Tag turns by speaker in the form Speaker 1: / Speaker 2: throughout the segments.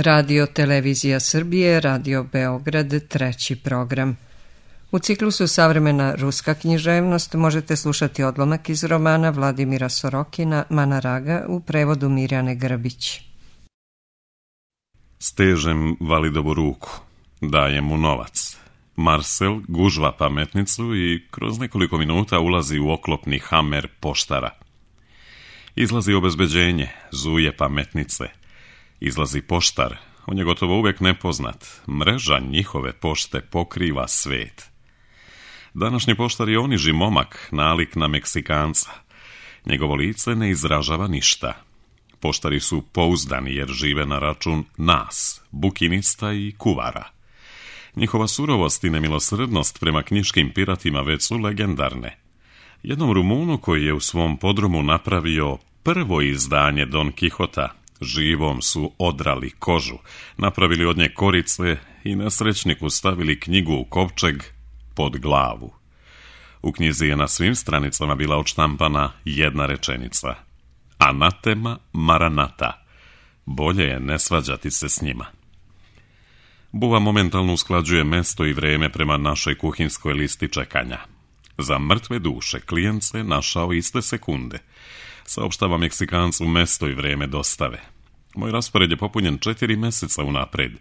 Speaker 1: Radio Televizija Srbije, Radio Beograd, treći program. U ciklusu Savremena ruska književnost možete slušati odlomak iz romana Vladimira Sorokina Mana Raga u prevodu Mirjane Grbić.
Speaker 2: Stežem Validovu ruku, dajem mu novac. Marcel gužva pametnicu i kroz nekoliko minuta ulazi u oklopni Hamer poštara. Izlazi obezbeđenje, zuje pametnice. Izlazi poštar, on je gotovo uvijek nepoznat. Mreža njihove pošte pokriva svet. Današnji poštar je oniži momak, nalik na Meksikanca. Njegovo lice ne izražava ništa. Poštari su pouzdani jer žive na račun nas, bukinista i kuvara. Njihova surovost i nemilosrdnost prema knjiškim piratima već su legendarne. Jednom Rumunu koji je u svom podrumu napravio prvo izdanje Don Kihota, živom su odrali kožu, napravili od nje korice i nesrećniku stavili knjigu u kovčeg pod glavu. U knjizi je na svim stranicama bila odštampana jedna rečenica: Anatema Maranata. Bolje je ne svađati se s njima. Buva momentalno usklađuje mesto i vreme prema našoj kuhinskoj listi čekanja. Za mrtve duše klijent se našao iste sekunde. Saopštava Meksikancu mesto i vreme dostave. Moj raspored je popunjen 4 mjeseca unapred,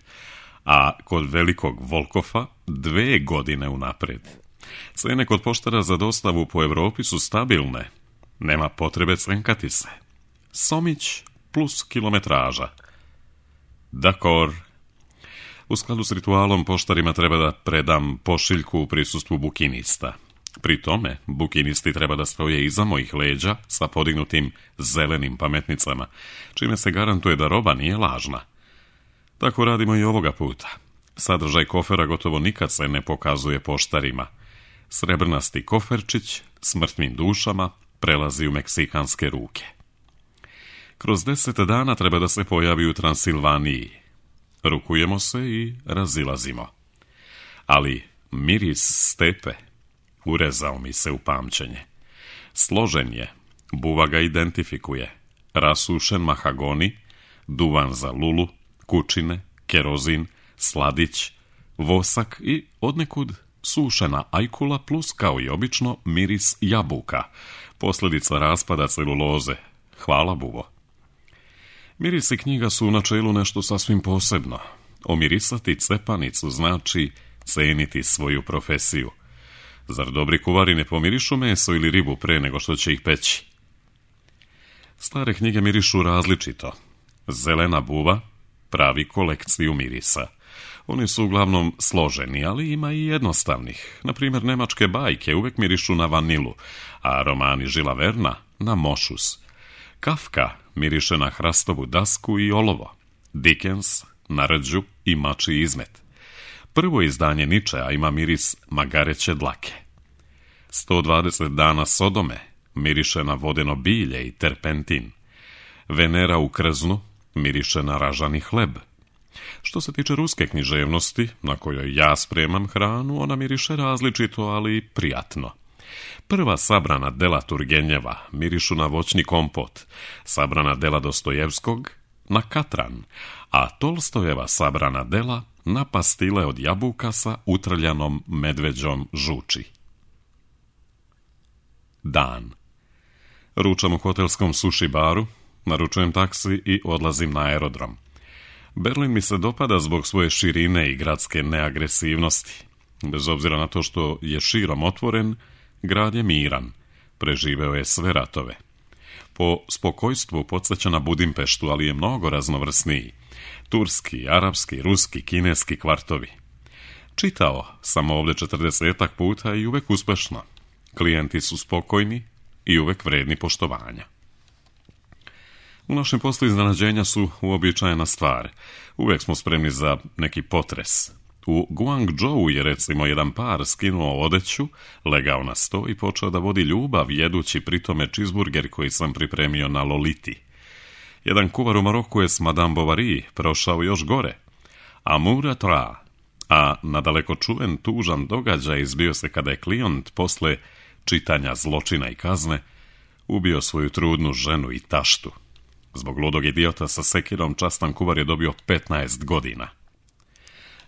Speaker 2: a kod velikog Volkofa 2 godine unapred. Cene kod poštara za dostavu po Evropi su stabilne. Nema potrebe cenkati se. Somić plus kilometraža. Dakor. U skladu s ritualom poštarima treba da predam pošiljku u prisustvu bukinista. Pri tome, bukinisti treba da stoje iza mojih leđa sa podignutim zelenim pametnicama, čime se garantuje da roba nije lažna. Tako radimo i ovoga puta. Sadržaj kofera gotovo nikad se ne pokazuje poštarima. Srebrnasti koferčić s mrtvim dušama prelazi u meksikanske ruke. Kroz 10 dana treba da se pojavi u Transilvaniji. Rukujemo se i razilazimo. Ali miris stepe urezao mi se u pamćenje. Složen je, buva ga identifikuje. Rasušen mahagoni, duvan za lulu, kučine, kerozin, sladić, vosak i odnekud sušena ajkula plus, kao i obično, miris jabuka, posljedica raspada celuloze. Hvala, buvo. Mirisi knjiga su u načelu nešto sasvim posebno. Omirisati cepanicu znači ceniti svoju profesiju. Zar dobri kuvari ne pomirišu meso ili ribu pre nego što će ih peći? Stare knjige mirišu različito. Zelena buva pravi kolekciju mirisa. Oni su uglavnom složeni, ali ima i jednostavnih. Naprimjer, nemačke bajke uvek mirišu na vanilu, a romani Žila Verna na mošus. Kafka miriše na hrastovu dasku i olovo. Dickens na rđu i mačji izmet. Prvo izdanje Ničea ima miris magareće dlake. 120 dana Sodome miriše na vodeno bilje i terpentin. Venera u krznu miriše na ražani hleb. Što se tiče ruske književnosti, na kojoj ja spremam hranu, ona miriše različito, ali prijatno. Prva sabrana dela Turgenjeva mirišu na voćni kompot, sabrana dela Dostojevskog na katran, a Tolstojeva sabrana dela na pastile od jabuka sa utrljanom medveđom žuči. Dan. Ručam u hotelskom sushi baru, naručujem taksi i odlazim na aerodrom. Berlin mi se dopada zbog svoje širine i gradske neagresivnosti. Bez obzira na to što je širom otvoren, grad je miran, preživeo je sve ratove. Po spokojstvu podsjeća na Budimpeštu, ali je mnogo raznovrsniji. Turski, arapski, ruski, kineski kvartovi. Čitao sam ovdje 40 puta i uvek uspešno. Klijenti su spokojni i uvek vredni poštovanja. U našem poslu iznenađenja su uobičajena stvar. Uvek smo spremni za neki potres. U Guangzhou je recimo jedan par skinuo odeću, legao na sto i počeo da vodi ljubav jedući pritome čizburger koji sam pripremio na Loliti. Jedan kuvar u Maroku je s Madame Bovary prošao još gore. Amour à trois. A nadaleko čuven tužan događaj izbio se kada je klijent posle čitanja Zločina i kazne ubio svoju trudnu ženu i taštu. Zbog ludog idiota sa sekirom častan kuvar je dobio 15 godina.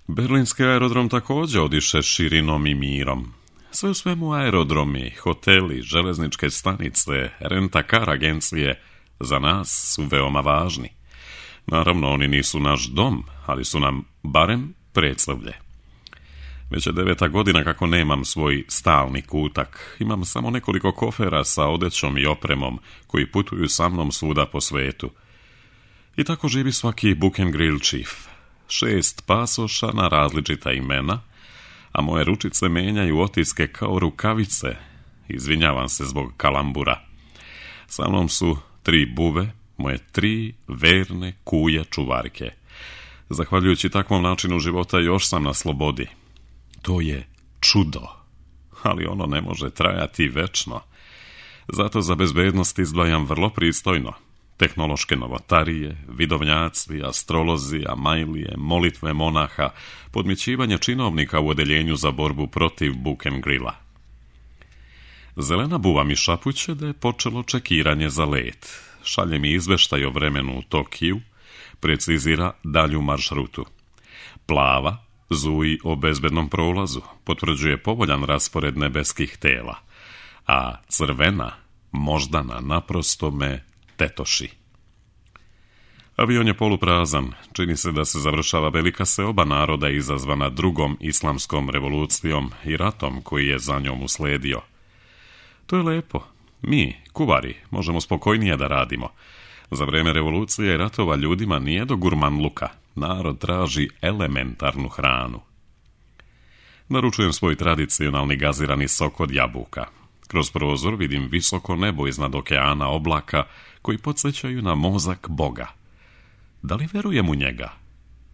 Speaker 2: Berlinski aerodrom također odiše širinom i mirom. Sve u svemu aerodromi, hoteli, železničke stanice, renta-car agencije za nas su veoma važni. Naravno, oni nisu naš dom, ali su nam barem predstavlje. Već je 9. godina kako nemam svoj stalni kutak. Imam samo nekoliko kofera sa odećom i opremom koji putuju sa mnom svuda po svetu. I tako živi svaki book and grill chief. 6 pasoša na različita imena, a moje ručice menjaju otiske kao rukavice. Izvinjavam se zbog kalambura. Sa mnom su 3 buve, moje 3 verne kuje čuvarke. Zahvaljujući takvom načinu života još sam na slobodi. To je čudo, ali ono ne može trajati večno. Zato za bezbednost izdvajam vrlo pristojno. Tehnološke novotarije, vidovnjaci, astrolozi, amajlije, molitve monaha, podmićivanje činovnika u odeljenju za borbu protiv book and grilla. Zelena buva mi šapuće da je počelo čekiranje za let. Šalje mi izveštaj o vremenu u Tokiju, precizira dalju maršrutu. Plava zuji o bezbednom prolazu, potvrđuje povoljan raspored nebeskih tela, a crvena, moždana, naprosto me tetoši. Avion je poluprazan, čini se da se završava velika seoba naroda izazvana drugom islamskom revolucijom i ratom koji je za njom usledio. To je lepo. Mi, kuvari, možemo spokojnije da radimo. Za vreme revolucije i ratova ljudima nije do gurmanluka. Narod traži elementarnu hranu. Naručujem svoj tradicionalni gazirani sok od jabuka. Kroz prozor vidim visoko nebo iznad okeana oblaka koji podsjećaju na mozak Boga. Da li verujem u njega?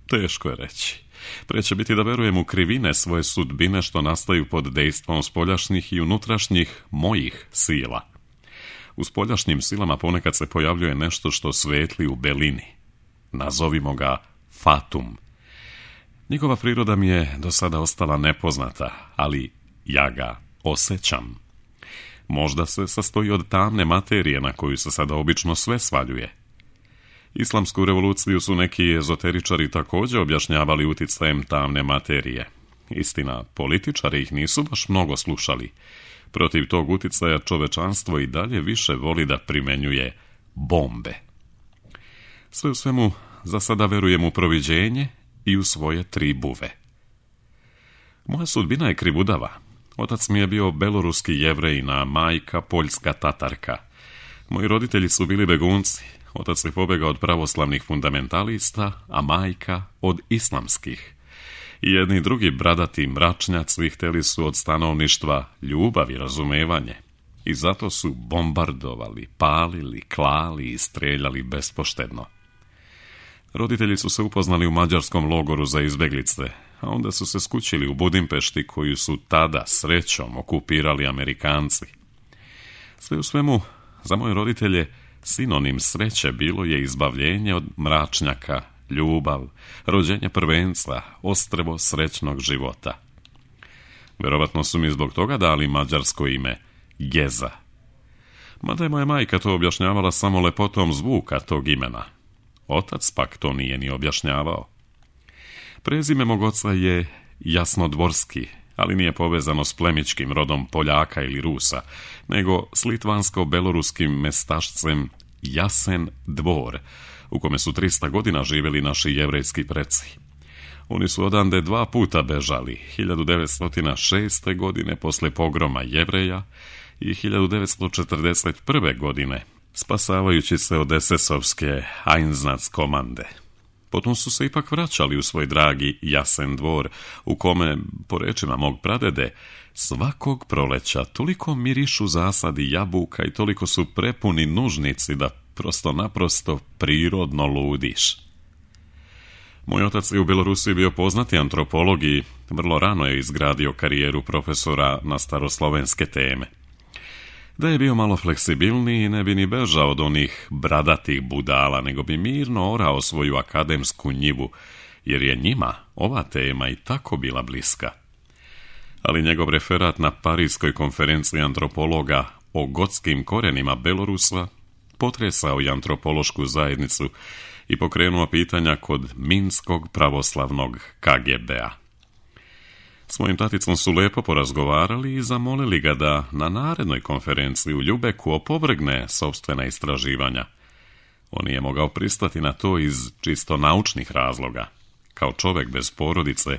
Speaker 2: Teško je reći. Pre će biti da verujem u krivine svoje sudbine što nastaju pod dejstvom spoljašnjih i unutrašnjih mojih sila. U spoljašnjim silama ponekad se pojavljuje nešto što svetli u belini. Nazovimo ga fatum. Njegova priroda mi je do sada ostala nepoznata, ali ja ga osjećam. Možda se sastoji od tamne materije na koju se sada obično sve svaljuje. Islamsku revoluciju su neki ezoteričari također objašnjavali uticajem tamne materije. Istina, političari ih nisu baš mnogo slušali. Protiv tog uticaja čovečanstvo i dalje više voli da primenjuje bombe. Sve u svemu, za sada verujem u proviđenje i u svoje 3 buve. Moja sudbina je krivudava. Otac mi je bio beloruski Jevrejina, majka poljska Tatarka. Moji roditelji su bili begunci. Otac je pobegao od pravoslavnih fundamentalista, a majka od islamskih. I jedni i drugi bradati mračnjaci htjeli su od stanovništva ljubav i razumevanje. I zato su bombardovali, palili, klali i streljali bespoštedno. Roditelji su se upoznali u mađarskom logoru za izbeglice, a onda su se skućili u Budimpešti koju su tada srećom okupirali Amerikanci. Sve u svemu, za moje roditelje sinonim sreće bilo je izbavljenje od mračnjaka, ljubav, rođenje prvenca, ostrvo srećnog života. Vjerovatno su mi zbog toga dali mađarsko ime Geza. Mada je moja majka to objašnjavala samo lepotom zvuka tog imena. Otac pak to nije ni objašnjavao. Prezime mog oca je Jasnodvorski, ali nije povezano s plemičkim rodom Poljaka ili Rusa, nego s litvansko-beloruskim mestašcem Jasen Dvor, u kome su 300 godina živjeli naši jevrejski preci. Oni su odande 2 puta bežali, 1906. godine posle pogroma Jevreja i 1941. godine, spasavajući se od SS-ovske Einsatz-komande. Potom su se ipak vraćali u svoj dragi Jasen Dvor, u kome, po rečima mog pradede, svakog proleća toliko mirišu zasadi jabuka i toliko su prepuni nužnici da prosto-naprosto prirodno ludiš. Moj otac je u Belorusiji bio poznati antropolog i vrlo rano je izgradio karijeru profesora na staroslovenske teme. Da je bio malo fleksibilniji, ne bi ni bežao od onih bradatih budala, nego bi mirno orao svoju akademsku njivu, jer je njima ova tema i tako bila bliska. Ali njegov referat na Parijskoj konferenciji antropologa o gotskim korenima Belorusa potresao i antropološku zajednicu i pokrenuo pitanja kod Minskog pravoslavnog KGB-a. S mojim taticom su lepo porazgovarali i zamolili ga da na narednoj konferenciji u Ljubeku opovrgne sopstvena istraživanja. On nije mogao pristati na to iz čisto naučnih razloga. Kao čovjek bez porodice,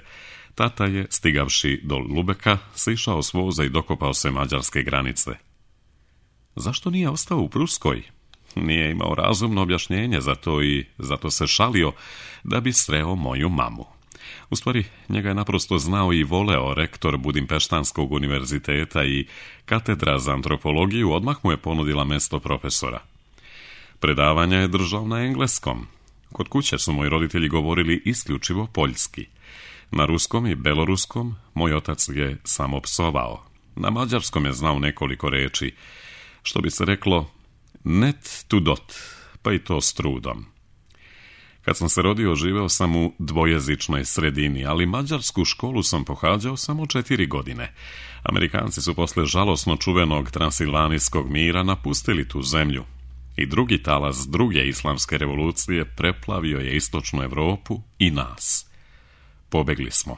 Speaker 2: tata je, stigavši do Lubeka, sišao s voza i dokopao se mađarske granice. Zašto nije ostao u Pruskoj? Nije imao razumno objašnjenje za to i zato se šalio da bi sreo moju mamu. U stvari, njega je naprosto znao i voleo rektor Budimpeštanskog univerziteta i katedra za antropologiju odmah mu je ponudila mjesto profesora. Predavanja je držao na engleskom. Kod kuće su moji roditelji govorili isključivo poljski. Na ruskom i beloruskom moj otac je samo psovao. Na mađarskom je znao nekoliko reči, što bi se reklo net tu dot, pa i to s trudom. Kad sam se rodio, živeo sam u dvojezičnoj sredini, ali mađarsku školu sam pohađao samo 4 godine. Amerikanci su posle žalosno čuvenog transilvanijskog mira napustili tu zemlju. I drugi talas druge islamske revolucije preplavio je istočnu Europu i nas. Pobegli smo.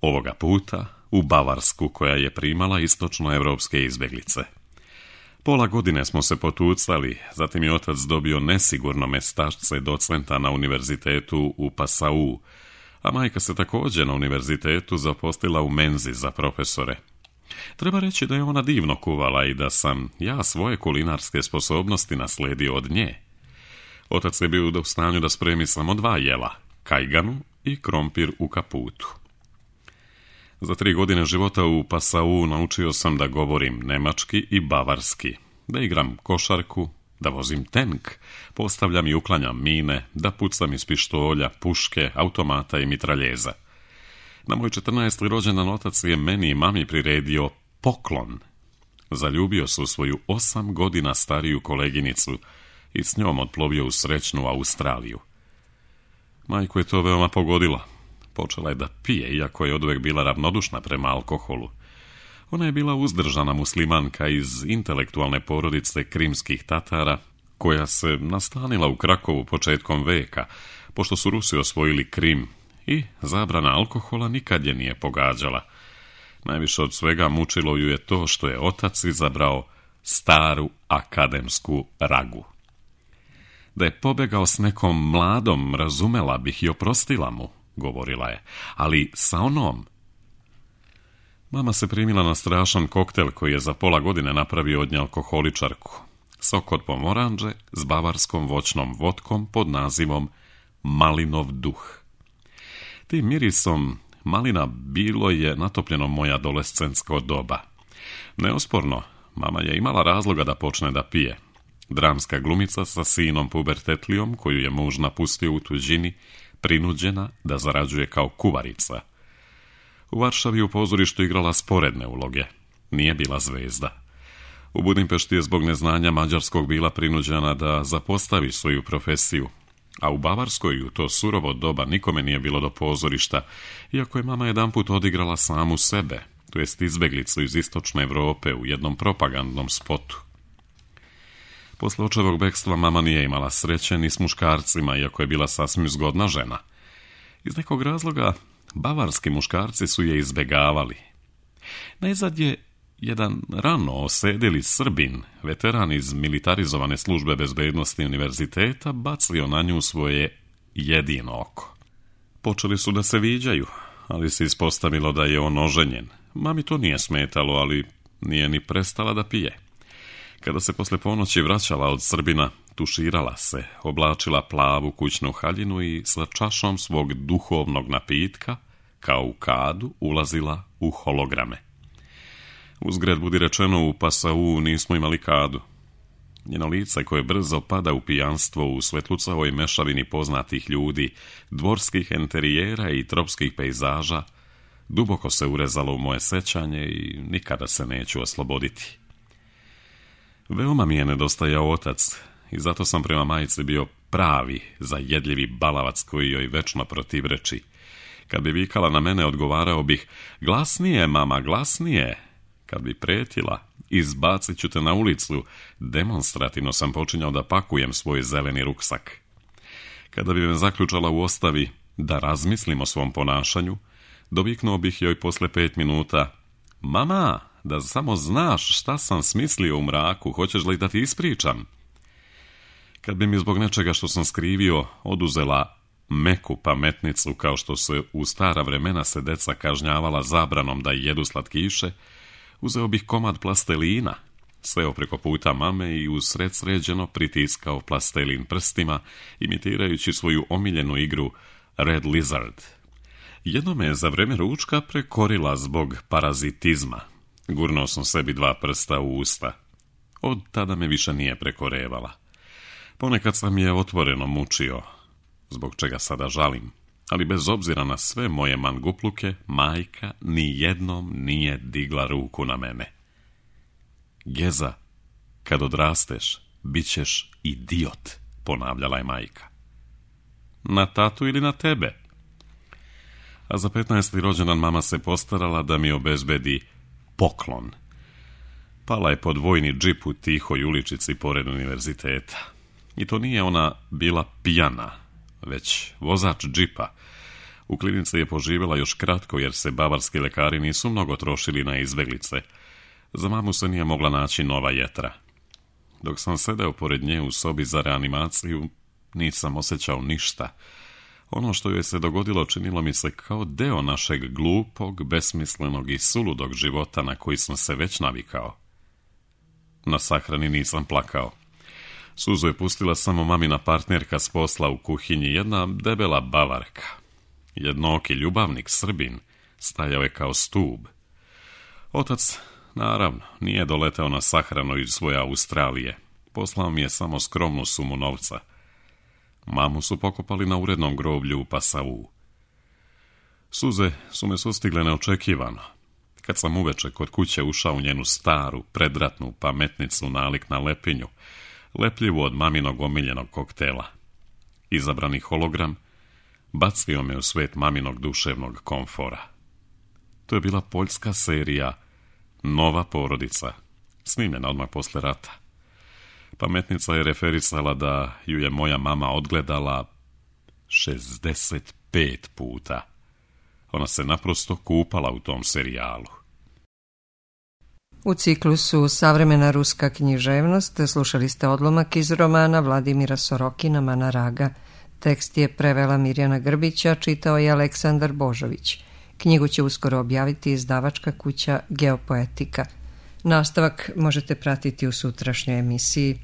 Speaker 2: Ovoga puta u Bavarsku, koja je primala istočnoevropske izbjeglice. Pola godine smo se potucali, zatim je otac dobio nesigurno mestašce docenta na univerzitetu u Passau, a majka se također na univerzitetu zaposlila u menzi za profesore. Treba reći da je ona divno kuvala i da sam ja svoje kulinarske sposobnosti naslijedio od nje. Otac je bio u stanju da spremi samo 2 jela, kajganu i krompir u kaputu. Za 3 godine života u Passau naučio sam da govorim nemački i bavarski, da igram košarku, da vozim tenk, postavljam i uklanjam mine, da pucam iz pištolja, puške, automata i mitraljeza. Na moj 14. rođendan otac je meni i mami priredio poklon. Zaljubio se u svoju 8 godina stariju koleginicu i s njom otplovio u srećnu Australiju. Majku je to veoma pogodilo. Počela je da pije, iako je oduvek bila ravnodušna prema alkoholu. Ona je bila uzdržana muslimanka iz intelektualne porodice krimskih Tatara, koja se nastanila u Krakovu početkom veka, pošto su Rusi osvojili Krim, i zabrana alkohola nikad je nije pogađala. Najviše od svega mučilo ju je to što je otac izabrao staru akademsku ragu. Da je pobegao s nekom mladom, razumela bih i oprostila mu, govorila je, ali sa onom. Mama se primila na strašan koktel koji je za pola godine napravio od nje alkoholičarku. Sok od pomoranđe s bavarskom voćnom vodkom pod nazivom Malinov duh. Tim mirisom malina bilo je natopljeno moje adolescentsko doba. Neosporno, mama je imala razloga da počne da pije. Dramska glumica sa sinom pubertetlijom, koju je muž napustio u tuđini, prinuđena da zarađuje kao kuvarica. U Varšavi u pozorištu igrala sporedne uloge. Nije bila zvezda. U Budimpešti je zbog neznanja mađarskog bila prinuđena da zapostavi svoju profesiju, a u Bavarskoj u to surovo doba nikome nije bilo do pozorišta, iako je mama jedanput odigrala samu sebe, to jest izbeglicu iz istočne Europe u jednom propagandnom spotu. Posle očevog bekstva mama nije imala sreće ni s muškarcima, iako je bila sasvim zgodna žena. Iz nekog razloga bavarski muškarci su je izbegavali. Najzad je jedan rano osedeli Srbin, veteran iz militarizovane službe bezbednosti univerziteta, bacio na nju svoje jedino oko. Počeli su da se viđaju, ali se ispostavilo da je on oženjen. Mami to nije smetalo, ali nije ni prestala da pije. Kada se posle ponoći vraćala od Srbina, tuširala se, oblačila plavu kućnu haljinu i sa čašom svog duhovnog napitka, kao u kadu, ulazila u holograme. Uzgred budi rečeno, u Passau nismo imali kadu. Njeno lice, koje brzo pada u pijanstvo u svetlucavoj mešavini poznatih ljudi, dvorskih enterijera i tropskih pejzaža, duboko se urezalo u moje sećanje i nikada se neću osloboditi. Veoma mi je nedostajao otac i zato sam prema majici bio pravi, zajedljivi balavac koji joj večno protivreči. Kad bi vikala na mene, odgovarao bih: "Glasnije, mama, glasnije." Kad bi pretila, izbacit ću te na ulicu, demonstrativno sam počinjao da pakujem svoj zeleni ruksak. Kada bi me zaključala u ostavi da razmislim o svom ponašanju, doviknuo bih joj posle 5 minuta: mama, da samo znaš šta sam smislio u mraku, hoćeš li da ti ispričam? Kad bi mi zbog nečega što sam skrivio oduzela meku pametnicu, kao što se u stara vremena se deca kažnjavala zabranom da jedu slatkiše, uzeo bih komad plastelina, seo preko puta mame i usred sređeno pritiskao plastelin prstima, imitirajući svoju omiljenu igru Red Lizard. Jedno me je za vreme ručka prekorila zbog parazitizma. Gurnuo sam sebi 2 prsta u usta. Od tada me više nije prekorevala. Ponekad sam je otvoreno mučio, zbog čega sada žalim, ali bez obzira na sve moje mangupluke, majka ni jednom nije digla ruku na mene. Geza, kad odrasteš, bit ćeš idiot, ponavljala je majka. Na tatu ili na tebe? A za 15. rođendan mama se postarala da mi obezbedi poklon. Pala je pod vojni džip u tihoj uličici pored univerziteta. I to nije ona bila pijana, već vozač džipa. U klinici je poživjela još kratko jer se bavarski lekari nisu mnogo trošili na izbeglice. Za mamu se nije mogla naći nova jetra. Dok sam sedeo pored nje u sobi za reanimaciju, nisam osjećao ništa. Ono što joj se dogodilo činilo mi se kao deo našeg glupog, besmislenog i suludog života na koji sam se već navikao. Na sahrani nisam plakao. Suzu je pustila samo mamina partnerka s posla u kuhinji, jedna debela Bavarka. Jednooki ljubavnik Srbin stajao je kao stub. Otac, naravno, nije doleteo na sahranu iz svoje Australije. Poslao mi je samo skromnu sumu novca. Mamu su pokopali na urednom groblju u Pasavu. Suze su me sustigle neočekivano. Kad sam uveče kod kuće ušao u njenu staru, predratnu pametnicu nalik na lepinju, lepljivu od maminog omiljenog koktela. Izabrani hologram bacio me u svet maminog duševnog komfora. To je bila poljska serija Nova porodica, snimljena odmah posle rata. Pametnica je referisala da ju je moja mama odgledala 65 puta. Ona se naprosto kupala u tom serijalu.
Speaker 1: U ciklusu Savremena ruska književnost slušali ste odlomak iz romana Vladimira Sorokina Mana Raga. Tekst je prevela Mirjana Grbića, čitao je Aleksandar Božović. Knjigu će uskoro objaviti izdavačka kuća Geopoetika. Nastavak možete pratiti u sutrašnjoj emisiji.